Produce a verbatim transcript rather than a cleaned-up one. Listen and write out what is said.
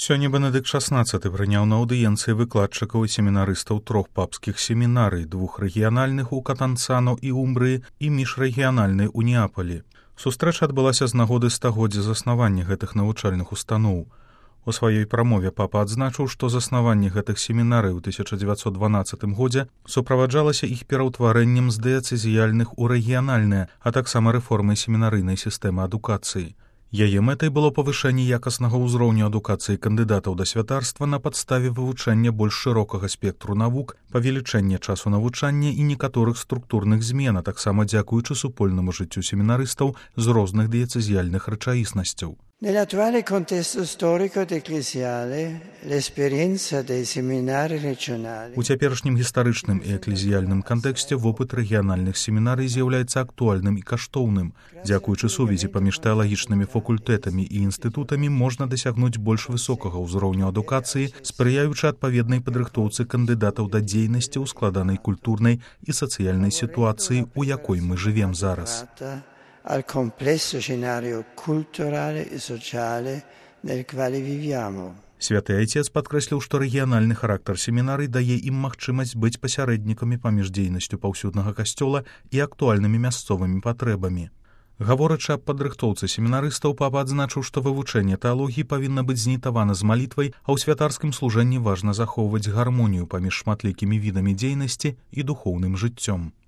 Сёння Бенедыкт шаснаццаты прыняў на аўдыенцыі выкладчыкаў і семінарыстаў трох папскіх семінарый, двух рэгіянальных у Катанцано і Умбрыі і міжрэгіянальнай у Неапалі. Сустрэча адбылася з нагоды стагоддзя заснавання гэтых навучальных устаноў. У сваёй прамове папа адзначыў, што заснаванне гэтых семінарый у тысяча дзевяцьсот дванаццатым годзе суправаджалася іх пераўтварэннем з дыяцэзіяльных у рэгіянальныя, а таксама рэформай семінарыйнай сістэмы адукацыі. Яе мэтай было павышэнне якаснага ўзроўню адукацыі кандыдатаў да святарства на падставе вывучэння больш шырокага спектру навук, павелічэння часу навучання і некаторых структурных змен, а таксама дзякуючы супольнаму жыццю семінарыстаў з розных дыяцэзіяльных рэчаіснасцяў. Nell'attuale contesto storico ed ecclesiale, l'esperienza dei seminari regionali. У цяперашнім гістарычным і эклезіяльным кантэксце вопыт рэгіянальных семінарый з'яўляецца актуальным і каштоўным. Дзякуючы сувязі паміж тэалагічнымі факультэтамі і інстытутамі можна дасягнуць больш высокага ўзроўню адукацыі, спрыяючы адпаведнай падрыхтоўцы кандыдатаў да дзейнасці ў складанай культурнай і сацыяльнай сітуацыі, у якой мы жывем зараз. Al complesso scenario culturale e sociale nel quale viviamo. Святы Айцец падкрэсліў, што рэгіянальны характар семінарый дае ім магчымасць быць пасярэднікамі паміж дзейнасцю паўсюднага касцёла і актуальнымі мясцовымі патрэбамі. Гаворачы аб падрыхтоўцы семінарыстаў, папа адзначыў, што вывучэнне тэалогіі павінна быць знітавана з малітвай, а ў святарскім служэнні важна захоўваць гармонію паміж шматлікімі відамі дзейнасці і духоўным жыццём.